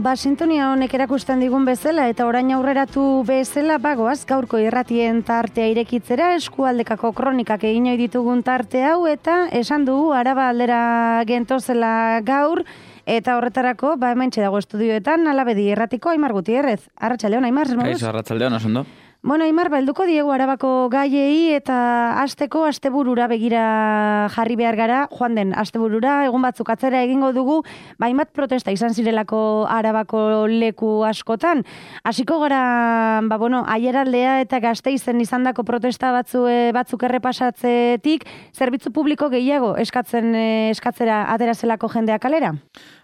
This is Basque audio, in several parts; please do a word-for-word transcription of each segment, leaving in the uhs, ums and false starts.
Ba, sintonia honek erakusten digun bezala eta orain aurreratu bezala bagoaz gaurko irratien tartea irekitzera eskualdekako kronikak egin ohi ditugun tarte hau eta esan dugu Araba aldera gentozela gaur eta horretarako ba hementxe dago estudioetan Alabedi irratiko Aimar Gutierrez. Arratsaldeon Aimar, zer moduz? Kaixo, arratsaldeon, oso ondo. Bueno, Aimar, balduko diegu Arabako gaiei eta asteko asteburura begira jarri behar gara, joan den asteburura, egun batzuk atzera egingo dugu, baimat protesta izan zirelako Arabako leku askotan. Hasiko gara, ba bueno, Aiaraldea eta Gasteizen izandako protesta batzu, batzuk errepasatzetik, zerbitzu publiko gehiago eskatzen eskatzera atera zelako jendeak kalera?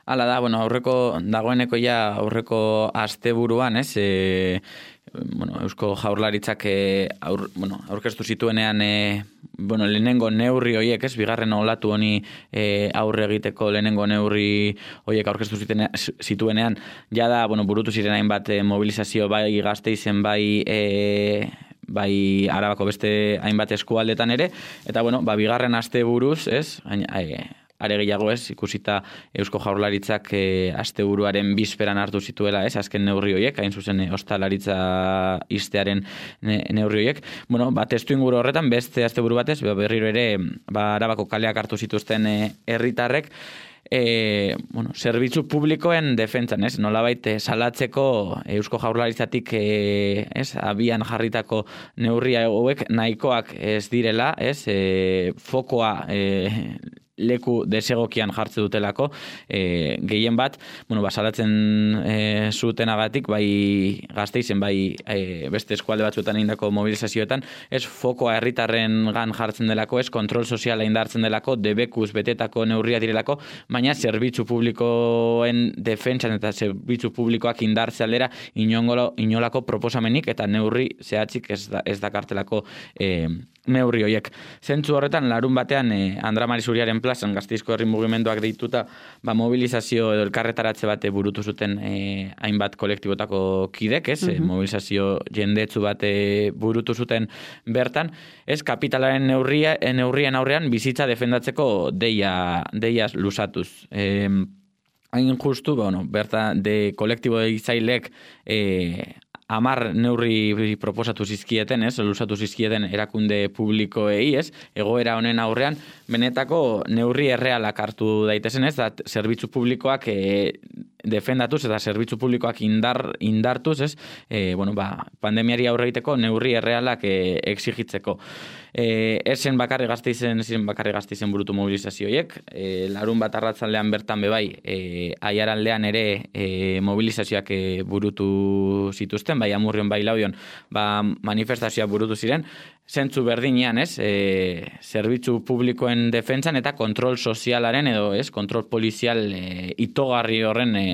Hala da, bueno, aurreko dagoeneko ja aurreko asteburuan, ez? E, bueno, Eusko Jaurlaritzak e, aur, bueno, aurkeztu zituenean e, bueno, lehenengo neurri horiek, ez? Bigarren olatu honi e, aurre egiteko lehenengo neurri horiek aurkeztu zituenean, ja da, bueno, burutu ziren hainbat e, mobilizazio bai Gasteizen bai e, bai Arabako beste hainbat eskualdetan ere, eta bueno, ba bigarren asteburuz, ez? E, are gehiago ez, ikusita Eusko Jaurlaritzak e, asteburuaren bizperan hartu zituela, ez, azken neurri horiek, hain zuzen e, ostalaritza iztearen ne, neurri horiek. Bueno, ba, testu inguru horretan, beste asteburu batez, berriro ere, ba, Arabako kaleak hartu zituzten herritarrek, E, bueno, zerbitzu publikoen defentsan, ez? Nolabait salatzeko Eusko Jaurlaritzatik e, ez, abian jarritako neurria hauek nahikoak ez direla, ez? E, fokoa e, leku desegokian jartze dutelako, e, gehien bat, bueno, basalatzen e, zutenagatik, bai Gasteizen, bai e, beste eskualde batzuetan egindako mobilizazioetan, ez fokoa herritarren gan jartzen delako, ez kontrol soziala indartzen delako, debekuz betetako neurria direlako, baina zerbitzu publikoen defentsan eta zerbitzu publikoak indartze aldera inongolo, inolako proposamenik eta neurri zehatzik ez, da, ez dakartelako e, neurri horiek. Zentzu horretan, larun batean, eh, Andra Marizuriaren plazan, Gasteizko herri mugimenduak deituta, ba, mobilizazio edo elkarretaratze bate burutu zuten eh, hainbat kolektibotako kidek, ez? Mm-hmm. Mobilizazio jendetzu bate burutu zuten bertan, ez? Kapitalaren neurria, neurrien aurrean bizitza defendatzeko deia, deia lusatuz. Eh, hain justu, bueno, berta de kolektibo izailek eh, amar neurri proposatu zizkieten, ez, lusatu zizkieten erakunde publikoei, ez, egoera honen aurrean, benetako neurri errealak hartu daitezen, ez, da, zerbitzu publikoak e, defendatuz eta zerbitzu publikoak indar, indartuz, ez, e, bueno, ba, pandemiari aurre egiteko neurri errealak e, exigitzeko. E, esen bakarri Gasteizen, ziren bakarri Gasteizen burutu mobilizazioiek, e, larun bat arratzaldean bertan bebai, e, Aiaraldean ere e, mobilizazioak e, burutu zituzten, bai Amurrion, bai Laudion, ba, manifestazioak burutu ziren, zentzu berdinean, ez, e, zerbitzu publikoen defentsan eta kontrol sozialaren edo, ez, kontrol polizial e, itogarri horren e,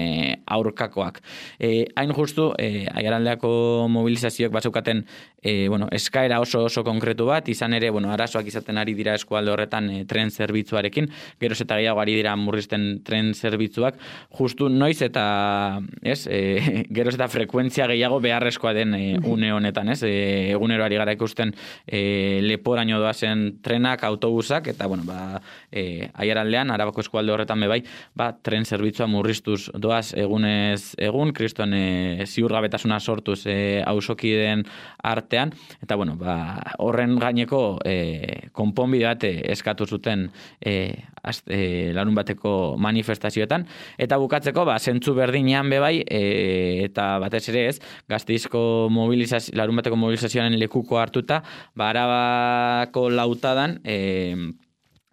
aurkakoak. E, hain justu, e, Aiaraldeako mobilizazioak batzeukaten, e, bueno, eskaera oso oso konkretu bat, izan ere, bueno, arazoak izaten ari dira eskualde horretan e, tren zerbitzuarekin, geroz eta gehiago ari dira murrizten tren zerbitzuak, justu noiz eta, ez, e, geroz eta frekuentzia gehiago beharrezkoa den e, une honetan, ez, e, egunero ari gara ikusten E, leporaino doazen trenak, autobusak, eta, bueno, ba, e, Aiaraldean, Arabako eskualde horretan bebai, ba, tren zerbitzua murriztuz doaz egunez egun, kriston e, ziurgabetasuna sortuz e, auzokideen artean, eta, bueno, ba, horren gaineko e, konponbide bat eskatu zuten e, az, e, larun bateko manifestazioetan, eta bukatzeko, ba, zentzu berdinean bebai, e, eta batez ere ez, Gasteizko mobilizazio, larun bateko mobilizazioaren lekuko hartuta, ba, Arabako lautadan, e,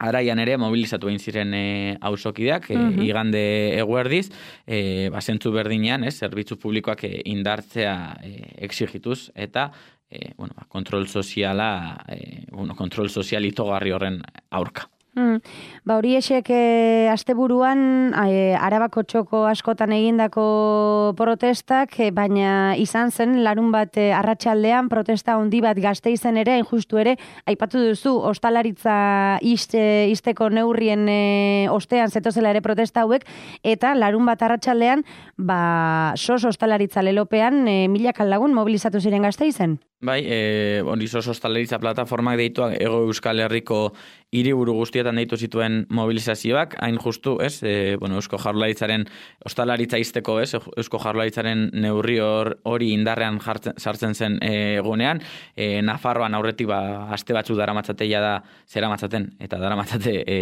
araian ere mobilizatu egin ziren e, auzokideak, e, uh-huh. igande eguerdiz, e, ba, zentzu berdinean, ez, zerbitzu publikoak e, indartzea e, exigituz, eta e, bueno, ba, kontrol soziala, e, bueno, kontrol sozial itogarri horren aurka. Hmm. Ba, hori esek e, asteburuan e, Arabako txoko askotan egindako protestak, e, baina izan zen larun bat e, arratsaldean protesta handi bat Gasteizen ere, injustu ere, aipatu duzu, ostalaritza iste, isteko neurrien e, ostean zetozela ere protesta hauek, eta larun bat arratsaldean, ba, sos ostalaritza lelopean e, milaka lagun mobilizatu ziren Gasteizen. Bai, e, hori sos ostalaritza plataformak deituak Ego Euskal Herriko hiriburu guztietan guztietan deitu zituen mobilizazioak, hain justu, ez, e, bueno, Eusko Jaurlaritzaren ostalaritza izteko, ez, Eusko Jaurlaritzaren neurri hori indarrean jartzen, sartzen zen egunean, e, Nafarroan aurretik ba, aste batzuk daramatzateia da, zera matzaten, eta daramatzate e,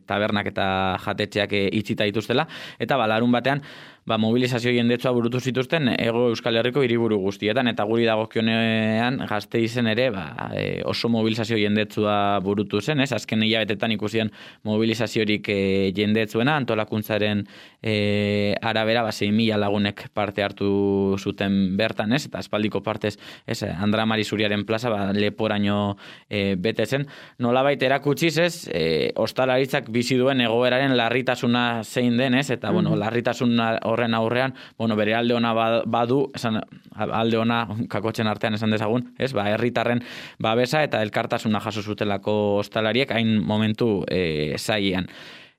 tabernak eta jatetxeak e, itxita dituztela, eta ba, larun batean, ba, mobilizazio jendetsua burutu zituzten Hego Euskal Herriko hiriburu guztietan, eta guri dagokionean Gasteizen ere ba, e, oso mobilizazio jendetsua burutu zen, ez? Azken hilabetetan ikusian mobilizaziorik e, jendetsuena, antolakuntzaren e, arabera ba, sei mila lagunek parte hartu zuten bertan, ez? Eta aspaldiko partez, ez, Andra Mari Zuriaren plaza ba, leporaino e, bete zen. Nolabait erakutsiz, ez, e, ostalaritzak bizi duen egoeraren larritasuna zein den, ez? Eta, bueno, larritasuna horren aurrean, bueno, bere alde ona badu, esan, alde ona kakotzen artean esan dezagun, ez, ba, herritarren babesa eta elkartasuna jaso zutelako ostalariek hain momentu e, zailean.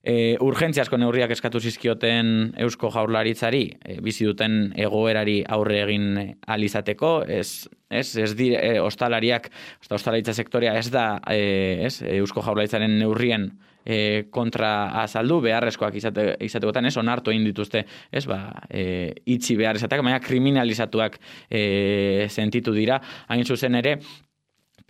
E, urgentziazko neurriak eskatu zizkioten Eusko Jaurlaritzari, e, bizi duten egoerari aurre egin alizateko, ez, ez, ez dire, e, ostalariak, ostalaritza sektorea ez da, e, ez, Eusko Jaurlaritzaren neurrien E, kontra azaldu, beharrezkoak izate, izategotan, ez, onartu egin dituzte, ez, ba, e, itxi behar izateak, baina kriminalizatuak e, sentitu dira, hain zuzen ere,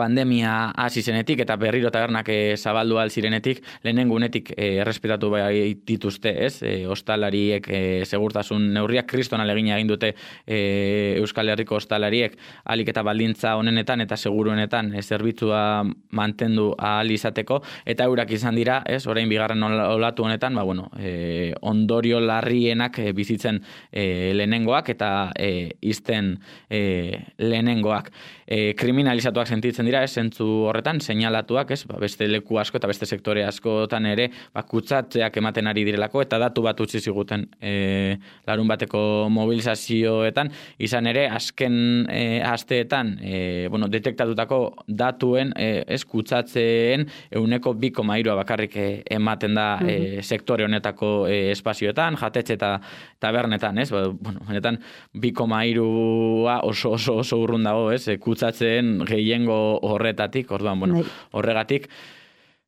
pandemia hasi zenetik eta berriro tabernak e, zabaldu al zirenetik, lehenengo unetik e, errespetatu bai dituzte, ez? E, ostalariek e, segurtasun neurriak kriston alegina egin dute e, Euskal Herriko ostalariek alik eta baldintza honenetan eta seguruenetan e, zerbitzua mantendu ahal izateko, eta eurak izan dira, ez? Orain bigarren olatu honetan, ba, bueno, e, ondorio larrienak e, bizitzen e, lehenengoak eta e, izten e, lehenengoak. E, kriminalizatuak sentitzen dira, ez, zentzu horretan, seinalatuak, ez, ba, beste leku asko eta beste sektore askotan ere, ba, kutsatzeak ematen ari direlako, eta datu bat utzi ziguten e, larun bateko mobilizazioetan, izan ere, azken e, asteetan, e, bueno, detektatutako datuen, e, ez, kutsatzeen euneko bi koma hirua bakarrik e, ematen da e, sektore honetako e, espazioetan, jatetxe eta tabernetan, ez, ba, bueno, benetan, bi koma hirua oso oso oso urrun dago, ez, e, kutsatzeen gehiengo horretatik, orduan, bueno, horregatik,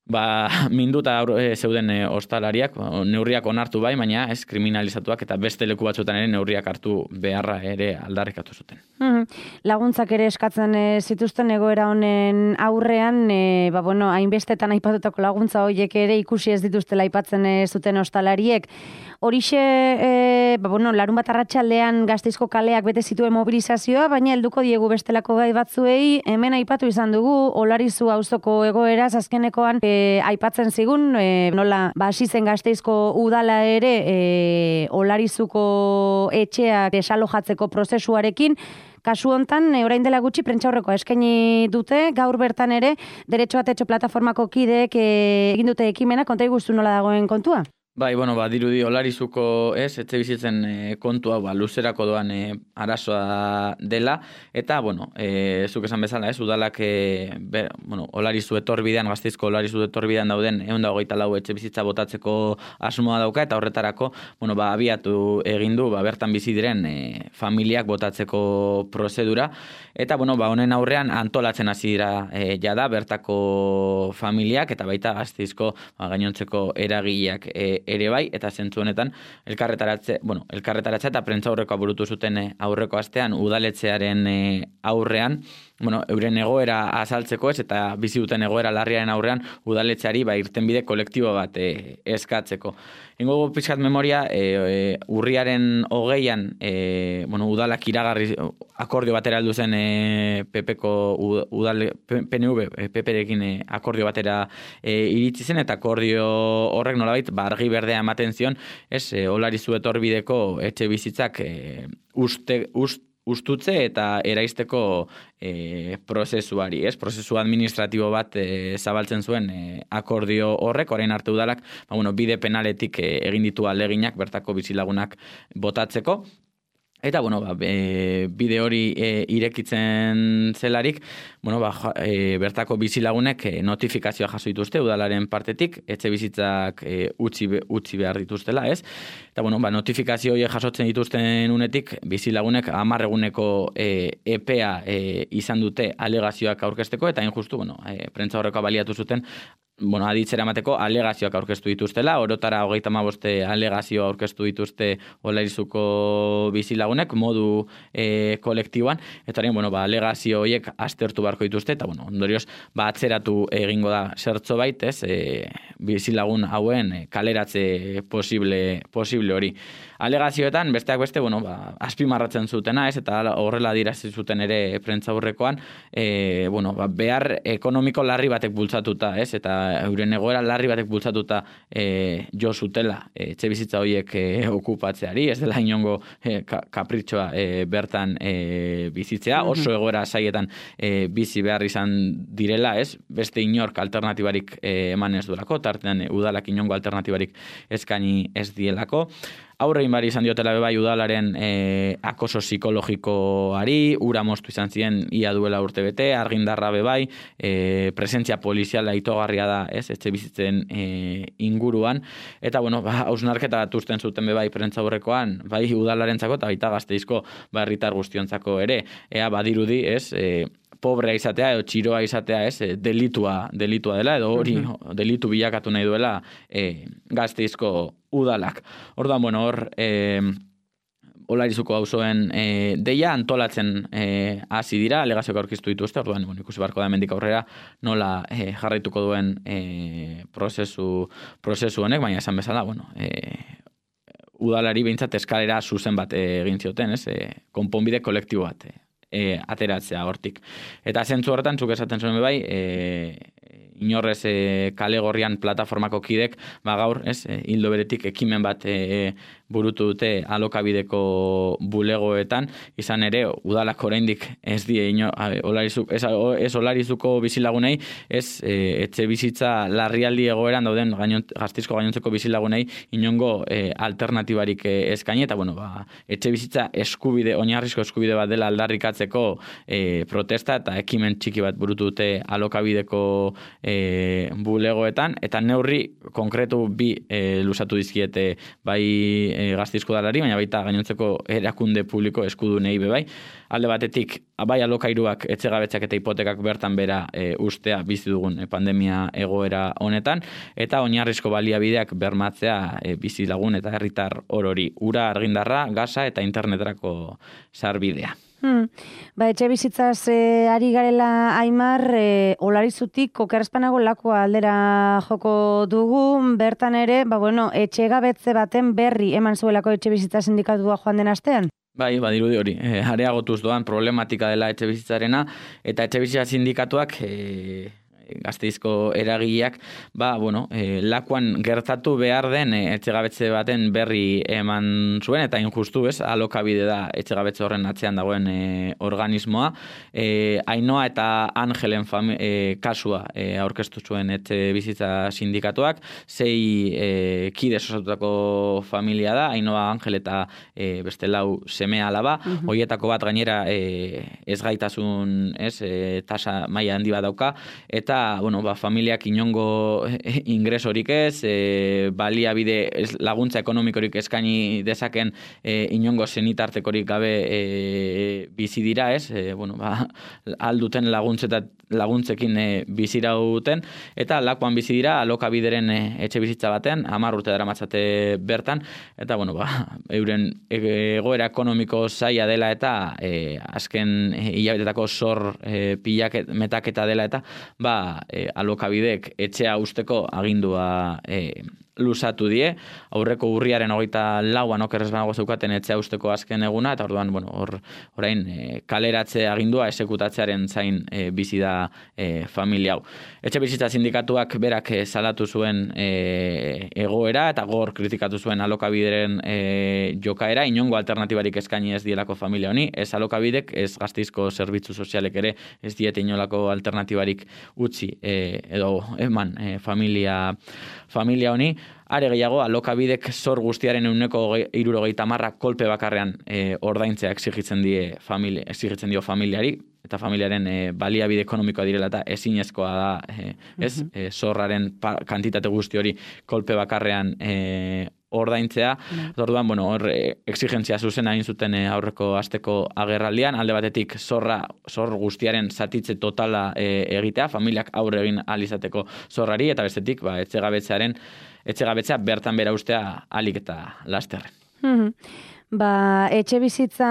ba, minduta e, zeuden e, ostalariak, neurriak onartu bai, baina ez kriminalizatuak eta beste leku batzuetan ere neurriak hartu beharra ere aldarrikatu zuten. Mm-hmm. Laguntzak ere eskatzen e, zituzten egoera honen aurrean, e, ba, bueno, hainbestetan aipatutako laguntza horiek ere ikusi ez dituztela aipatzen e, zuten ostalariek. Horixe, e, ba, bueno, larun bat arratsaldean Gasteizko kaleak bete zituen mobilizazioa, baina helduko diegu bestelako gai batzuei, hemen aipatu izan dugu, Olarizu auzoko egoeraz azkenekoan e, aipatzen zigun, e, nola, ba, hasi zen Gasteizko udala ere e, Olarizuko etxeak desalojatzeko prozesuarekin. Kasu hontan, orain dela gutxi prentsaurrekoa eskaini dute, gaur bertan ere, Derecho a Techo plataformako kideek e, egin dute ekimena, konta igustu nola dagoen kontua? Bai, bueno, ba, dirudi Olarizuko, ez, etxe bizitzen e, kontua, ba, luzerako doan e, arazoa dela, eta, bueno, e, zuk esan bezala, ez, udalak, e, be, bueno, Olarizu etorbidean, Gasteizko Olarizu etorbidean dauden, ehun eta hogeita lau etxe bizitza botatzeko asmoa dauka, eta horretarako, bueno, ba, abiatu egin du, ba, bertan bizi diren e, familiak botatzeko prozedura, eta, bueno, ba, honen aurrean antolatzen hasi dira e, jada, bertako familiak, eta baita Gasteizko, ba, gainontzeko eragileak e, ere bai, eta zentzu honetan elkarretaratze, bueno, elkarretaratze eta prentza aurrekoa burutu zuten aurreko astean udaletxearen aurrean, bueno, euren egoera azaltzeko ez, eta bizi duten egoera larriaren aurrean udaletxeari ba, irtenbide kolektibo bat e, eskatzeko. Ingo pixkat memoria, e, e, urriaren hogeian, e, bueno, udalak iragarri akordio batera heldu zen e, Pepeko udal, P N V, Peperekin e, akordio batera e, iritsi zen, eta akordio horrek nolabait, ba, argi berdea ematen zion, ez, e, Olarizu etorbideko etxe bizitzak e, uste, uste, ustutze eta eraisteko e, prozesuari, ez? Prozesu administratibo bat e, zabaltzen zuen e, akordio horrek, orain arte udalak, ba, bueno, bide penaletik e, egin ditu aleginak bertako bizilagunak botatzeko. Eta, bueno, ba, e, bide hori e, irekitzen zelarik, bueno, ba, e, bertako bizilagunek e, notifikazioa jaso dituzte udalaren partetik, etxe bizitzak e, utzi, utzi behar dituztela, ez? Eta, bueno, ba, notifikazio hori jasotzen dituzten unetik, bizilagunek hamar eguneko e, epea e, izan dute alegazioak aurkezteko, eta hain justu, bueno, e, prentza horrekoa baliatu zuten, bueno, aditzera emateko alegazioak aurkeztu dituztela, orotara hogeita hamabost alegazio aurkeztu dituzte Olarizuko bizilagunek modu e, kolektiboan, eta horien, bueno, ba, alegazio horiek aztertu beharko dituzte, eta, bueno, ondorioz, ba, atzeratu egingo da zertzo bait, ez, e, bizilagun hauen e, kaleratze posible, posible hori. Alegazioetan, besteak beste, bueno, ba, azpimarratzen zutena, ez, eta horrela dirazi zuten ere prentzaurrekoan, e, bueno, ba, behar ekonomiko larri batek bultzatuta, ez, eta euren egoera larri batek bultzatuta e, jo zutela e, etxe bizitza horiek e, okupatzeari, ez dela inongo e, ka, kapritxoa e, bertan e, bizitzea, oso egoera saietan e, bizi behar izan direla, ez, beste inork alternatibarik e, eman ez duelako, tartean e, udalak inongo alternatibarik eskaini ez dielako. Aurrein bari izan diotela bebai udalaren e, akoso psikologikoari, ura moztu izan ziren ia duela urte bete, argindarra bebai, e, presentzia poliziala itogarria da, ez, etxe bizitzen e, inguruan, eta, bueno, ba, hausnarketa bat usten zuten bebai prentza aurrekoan, bai udalarentzako eta baita Gasteizko ba, herritar guztiontzako ere, ea badirudi, ez, e, pobrea izatea edo txiroa izatea, ez, delitua, delitua dela, edo hori delitu bilakatu nahi duela e, Gasteizko udalak. Orduan, bueno, hor, e, Olarizuko auzoen e, deia antolatzen e, hasi dira, alegazioak aurkeztu dituzte, orduan, bueno, ikusi beharko da hemendik aurrera nola e, jarraituko duen e, prozesu, prozesu honek, baina esan bezala, bueno, e, udalari behintzat eskalera zuzen bat e, egin zioten, ez, e, konponbide kolektibo bat, e, E, ateratzea hortik. Eta zentzu horretan, zuk esaten zuen bai, e, inorrez e, kale gorrian plataformako kidek, ba gaur, ez, e, hildo beretik ekimen bat e, burutu dute alokabideko bulegoetan, izan ere, udalak oraindik ez die, ino, olarizuk, ez, ez olarizuko bizilagunei, ez e, etxe bizitza larrialdi egoeran dauden gainont, Gasteizko gainontzeko bizilagunei inongo e, alternatibarik e, eskaini, eta bueno, ba, etxe bizitza eskubide, oinarrizko eskubide bat dela aldarrikatzeko e, protesta eta ekimen txiki bat burutu dute alokabideko e, bulegoetan, eta neurri konkretu bi e, lusatu dizkiete bai e, Gasteizko udalari, baina baita gainontzeko erakunde publiko eskudunei bebai. Alde batetik, bai alokairuak, etxegabetzak eta hipotekak bertan bera e, ustea bizi dugun e, pandemia egoera honetan, eta oinarrizko baliabideak bermatzea e, bizi lagun eta herritar orori, ura, argindarra, gasa eta internetrako sarbidea. Hmm. Ba, etxe bizitzaz e, ari garela Aimar, e, Olarizutik okerrezpanago lakua aldera joko dugu, bertan ere, ba, bueno, etxe gabetze baten berri eman zuelako etxe bizitza sindikatua joan den astean? Bai, badirudi hori, e, areagotuz doan problematika dela etxe bizitzarena, eta etxe bizitza sindikatuak e, Gasteizko eragileak, ba, bueno, e, lakuan gertatu behar den e, etxegabetze baten berri eman zuen, eta injustu, ez, alokabide da etxegabetze horren atzean dagoen e, organismoa. E, Ainoa eta Angelen fami, e, kasua e, aurkeztu zuen etxe bizitza sindikatuak, sei e, kide osatutako familia da, Ainoa, Angel eta e, beste lau seme alaba, uh-huh. Hoietako bat gainera e, ez gaitasun, ez, e, tasa maila handi bat dauka, eta bueno, ba, familiak inongo ingresorik ez, e, baliabide ez, laguntza ekonomikorik eskaini dezaken e, inongo senitartekorik gabe e, bizi dira, ez? E, bueno, ba, alduten laguntzekin e, bizirauten, eta lakuan bizi dira alokabideren e, etxe bizitza batean, hamar urte daramatzate bertan, eta bueno, ba, euren egoera ekonomiko zaila dela eta e, azken e, hilabetetako zor e, pilak metaketa dela eta ba, E, alokabidek etxea usteko agindua e, lusatu die, aurreko urriaren hogeita lauan okerrez banago zeukaten etxea usteko azken eguna, eta orduan, bueno, hor, orain e, kaleratze agindua esekutatzearen zain e, bizi da e, familia hau. Etxe bizitza sindikatuak berak e, salatu zuen e, egoera, eta gor kritikatu zuen alokabideren e, jokaera, inongo alternatibarik eskaini ez dielako familia honi, ez alokabidek, ez Gasteizko zerbitzu sozialek ere, ez diete inolako alternatibarik utzi e, edo eman e, familia, familia honi. Are gehiago, alokabidek zor guztiaren ehuneko hirurogeita hamar kolpe bakarrean e, ordaintzea exigitzen die familia, exigitzen dio familiari, eta familiaren e, baliabide ekonomikoa direla eta ezinezkoa da, e, ez, uh-huh. e, zorraren pa, kantitate guzti hori kolpe bakarrean e, ordaintzea. Mm. Orduan, bueno, hor exigentzia zuzena egin zuten aurreko asteko agerraldian, alde batetik zorra, zor guztiaren zatitze totala e, egitea, familiak aurre egin ahal izateko zorrari, eta bestetik, ba, etxegabetzearen, etxegabetzea bertan bera ustea ahalik eta lasterren. Mm-hmm. Ba, etxe bizitza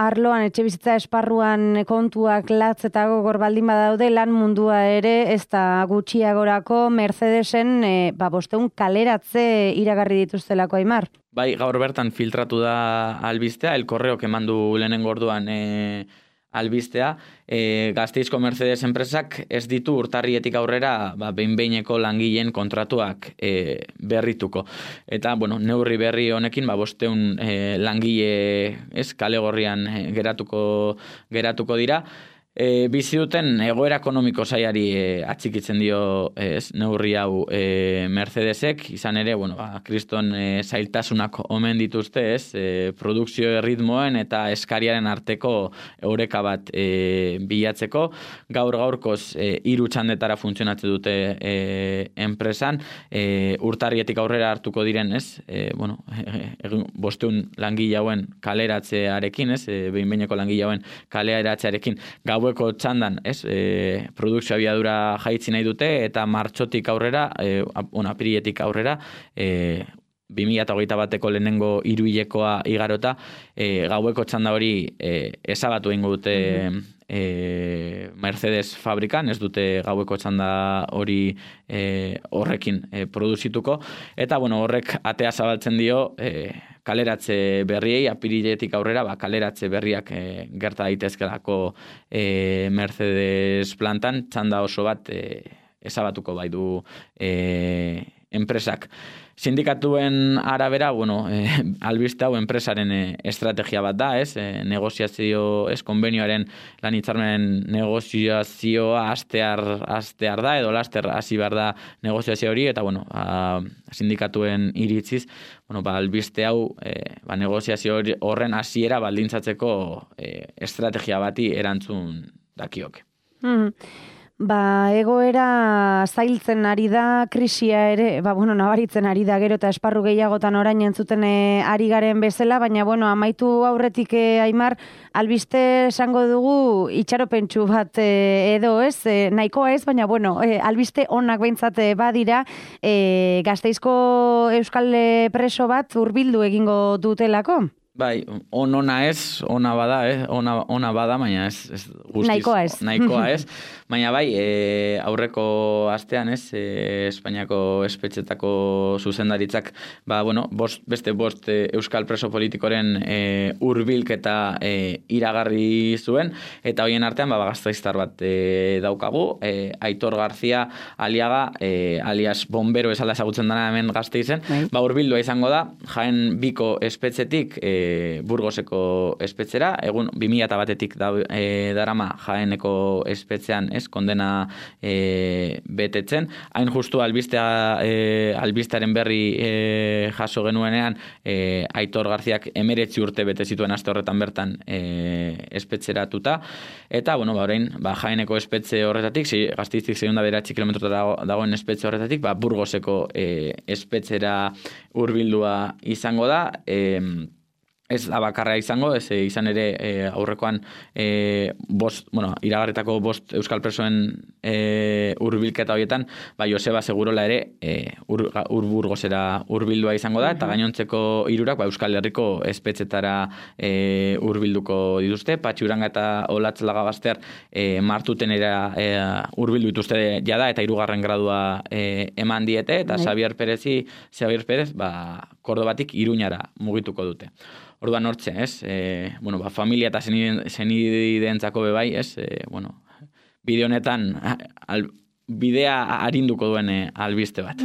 arloan, etxe bizitza esparruan kontuak latz eta gogor baldin badaude, lan mundua ere ez da gutxiagorako Mercedesen e, ba, bosteun kaleratze iragarri dituztelako, Aimar. Bai, gaur bertan filtratu da albistea, el correo que mandu lehenengo orduan e, albistea, e, Gasteizko Mercedes enpresak ez ditu urtarrietik aurrera ba, behin-behineko langileen kontratuak e, berrituko. Eta, bueno, neurri berri honekin, ba, bosteun e, langile ez, kale gorrian e, geratuko, geratuko dira. E, bizi duten egoera ekonomiko zaiari e, atxikitzen dio ez, neurri hau e, Mercedesek, izan ere, bueno, ba, kriston e, zailtasunak omen dituzte, ez, e, produkzio erritmoen eta eskariaren arteko eureka bat e, bilatzeko, gaur gaurkoz e, hiru txandetara funtzionatzen dute e, enpresan, e, urtarrietik aurrera hartuko diren, ez, e, bueno, e, bosteun langile hauen kaleratzearekin, ez, e, behin-behineko langile hauen kaleratzearekin, gau gaueko txandan, ez, e, produkzio abiadura jaitzi nahi dute, eta martxotik aurrera, e, on, apiriletik aurrera, e, bi mila hogeita bateko lehenengo hiruhilekoa igarota, e, gaueko txanda hori e, ezabatu egingo dute mm-hmm. e, Mercedes fabrikan, ez dute gaueko txanda hori e, horrekin e, produzituko, eta bueno, horrek atea zabaltzen dio, e, kaleratze berriei, apiriletik aurrera, ba, kaleratze berriak e, gerta daitezkelako e, Mercedes plantan, txanda oso bat e, ezabatuko bai du e, enpresak. Sindikatuen arabera, bueno, e, albiste hau enpresaren e, estrategia bat da, ez? E, negoziazio, ez, konbenioaren lan hitzarmenen negoziazioa astear, astear da, edo laster hasi behar da negoziazio hori, eta, bueno, a, sindikatuen iritziz, bueno, ba, albiste hau, e, ba, negoziazio horren hasiera baldintzatzeko e, estrategia bati erantzun dakioke. Mm-hmm. Ba, egoera zailtzen ari da, krisia ere, ba, bueno, nabaritzen ari da, gero eta esparru gehiagotan orain entzuten e, ari garen bezala, baina, bueno, amaitu aurretik e, Aimar, albiste esango dugu itxaropentsu bat e, edo, ez, e, nahikoa ez, baina, bueno, e, albiste onak behintzat badira, e, Gasteizko euskal preso bat hurbildu egingo dutelako? Bai, on ona ez, ona bada, eh? ona, ona bada, baina ez, ez guztiz. Nahikoa ez. Nahikoa ez. Baina bai, e, aurreko astean ez, e, Espainiako espetxetako zuzendaritzak, ba, bueno, bost, beste bost e, euskal preso politikoren e, hurbilketa e, iragarri zuen, eta hoien artean, ba, gasteiztar bat e, daukagu, e, Aitor Garzia Aliaga, e, alias bombero esala ezagutzen dana hemen Gasteizen, bai. Ba, hurbildua izango da, Jaen Biko espetxetik, e, Burgoseko espetxera, egun bi mila batetik da, e, darama Jaeneko espetxean, ez, kondena e, betetzen. Hain justu albistea, e, albistearen berri e, jaso genuenean, e, Aitor Garziak emeretzi urte bete zituen aste horretan bertan e, espetxeratuta, eta, bueno, ba, orain, ba, Jaeneko espetxe horretatik, zi, Gasteiztik segunda bederatzi kilometrotara dagoen espetxe horretatik, ba, Burgoseko e, espetxera hurbildua izango da, e, ez da bakarra izango, ez izan ere e, aurrekoan e, bost, bueno, iragarritako bost euskal presoen e, urbilketa horietan, ba, Joseba Segurola ere e, ur, ur Burgosera urbildua izango da, eta gainontzeko hirurak ba, Euskal Herriko espetxetara e, urbilduko dituzte, Patxi Uranga eta Olatz Lagabaster e, martutenera e, urbildu dituzte jada, eta hirugarren gradua e, eman diete, eta Xavier Perezi, Xavier Perez, ba, Kordobatik Iruñara mugituko dute. Orduan hortxe, ez? E, bueno, ba, familia eta zenideentzako bebai, ez? E, bueno, bide honetan al, bidea arinduko duen albiste bat.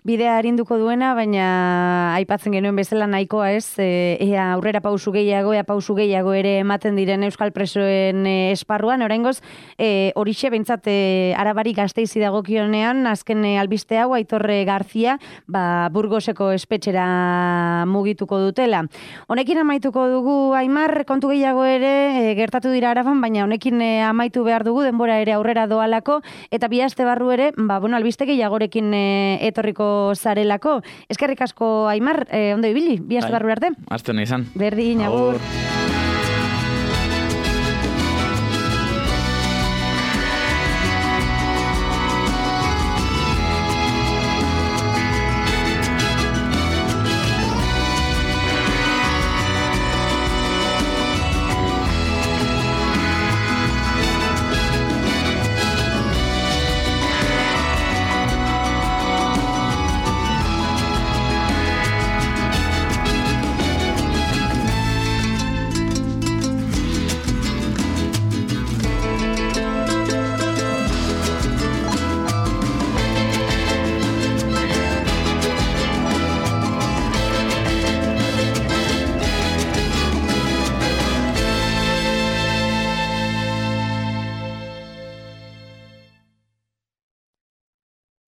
Bidea arinduko duena, baina aipatzen genuen bezala nahikoa ez, ea aurrera pausu gehiago, ea pausu gehiago ere ematen diren euskal presoen esparruan, oraingoz, e, horixe behintzat e, Arabari Gasteizi dagokionean, azken albiste hau, Aitor Garzia, ba, Burgoseko espetxera mugituko dutela. Honekin amaituko dugu, Aimar, kontu gehiago ere, e, gertatu dira Araban, baina honekin e, amaitu behar dugu, denbora ere aurrera doalako, eta bi aste barru ere, ba, bueno, albiste gehiagorekin e, etorriko zarelako. Eskerrik asko, Aimar, e, ondo ibili, bi aste barru arte. Aste hona izan. Berdin, agur.